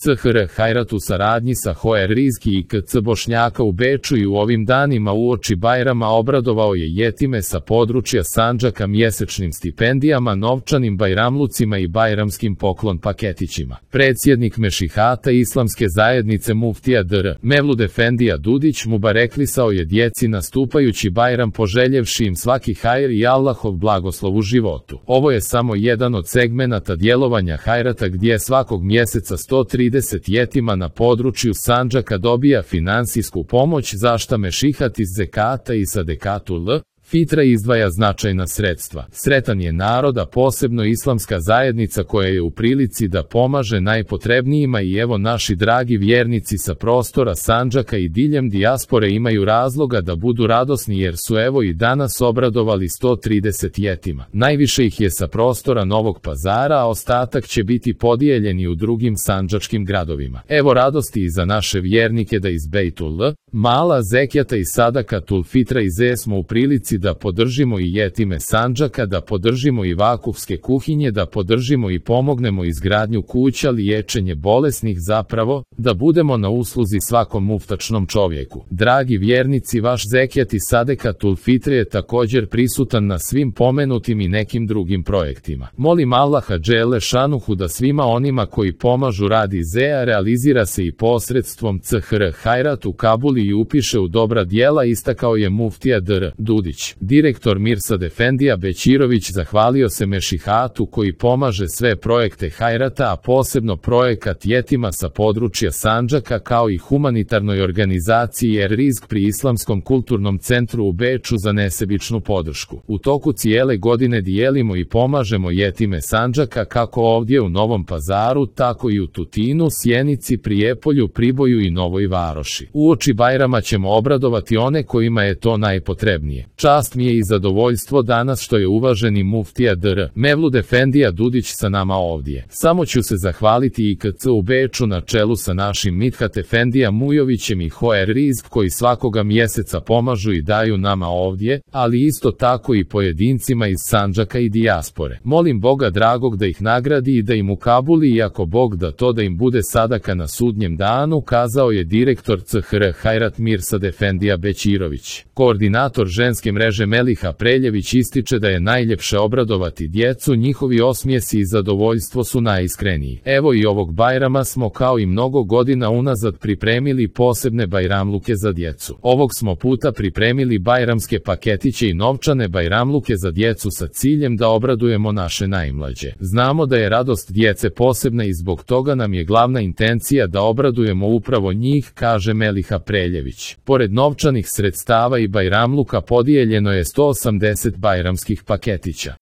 CHR Hajrat u saradnji sa HR Rizki i KC Bošnjaka u Beču i u ovim danima uoči Bajrama obradovao je jetime sa područja Sandžaka mjesečnim stipendijama, novčanim bajramlucima i bajramskim poklon paketićima. Predsjednik Mešihata Islamske zajednice muftija Dr. Mevlud Efendija Dudić mubareklisao je djeci nastupajući Bajram poželjevši im svaki hajr i Allahov blagoslov u životu. Ovo je samo jedan od segmenata djelovanja Hajrata gdje svakog mjeseca 130 jetima na području Sandžaka dobija finansijsku pomoć za šta Mešihat iz zekata i sadekatul fitra izdvaja značajna sredstva. Sretan je narod, a posebno islamska zajednica koja je u prilici da pomaže najpotrebnijima i evo naši dragi vjernici sa prostora Sandžaka i diljem dijaspore imaju razloga da budu radosni jer su evo i danas obradovali 130 jetima. Najviše ih je sa prostora Novog Pazara, a ostatak će biti podijeljeni u drugim sandžačkim gradovima. Evo radosti i za naše vjernike da iz Bejtul Mala, zekjata i sadakatul fitra iz smo u prilici da podržimo i jetime Sandžaka, da podržimo i vakufske kuhinje, da podržimo i pomognemo izgradnju kuća, liječenje bolesnih, zapravo, da budemo na usluzi svakom muftačnom čovjeku. Dragi vjernici, vaš zekjat i sadekatul fitre je također prisutan na svim pomenutim i nekim drugim projektima. Molim Allaha dželle šanuhu da svima onima koji pomažu rad IZEA realizira se i posredstvom CHR Hajrat u Kabuli i upiše u dobra djela, istakao je muftija Dr. Dudić. Direktor Mirsad Efendija Bećirović zahvalio se Mešihatu koji pomaže sve projekte Hajrata, a posebno projekat jetima sa područja Sandžaka kao i humanitarnoj organizaciji Rizk pri Islamskom kulturnom centru u Beču za nesebičnu podršku. U toku cijele godine dijelimo i pomažemo jetime Sandžaka kako ovdje u Novom Pazaru, tako i u Tutinu, Sjenici, Prijepolju, Priboju i Novoj Varoši. Uoči Bajrama ćemo obradovati one kojima je to najpotrebnije. Čast mi je i zadovoljstvo danas što je uvaženi muftija Dr. Mevlud Efendija Dudić sa nama ovdje. Samo ću se zahvaliti i KC u Beču na čelu sa našim Midhat Efendija Mujovićem i HR Rizk koji svakoga mjeseca pomažu i daju nama ovdje, ali isto tako i pojedincima iz Sandžaka i dijaspore. Molim Boga dragog da ih nagradi i da im ukabuli i ako Bog da to da im bude sadaka na sudnjem danu, kazao je direktor CHR Hajrat Mirsad Efendija Bećirović. Koordinator ženske mreže Meliha Preljević ističe da je najljepše obradovati djecu, njihovi osmijesi i zadovoljstvo su najiskreniji. Evo i ovog Bajrama smo kao i mnogo godina unazad pripremili posebne bajramluke za djecu. Ovog smo puta pripremili bajramske paketiće i novčane bajramluke za djecu sa ciljem da obradujemo naše najmlađe. Znamo da je radost djece posebna i zbog toga nam je glavna intencija da obradujemo upravo njih, kaže Meliha Preljević. Pored novčanih sredstava i bajramluka podijeljeno je 180 bajramskih paketića.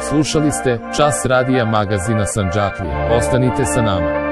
Slušali ste Čas radija magazina Sandžaklije. Ostanite sa nama.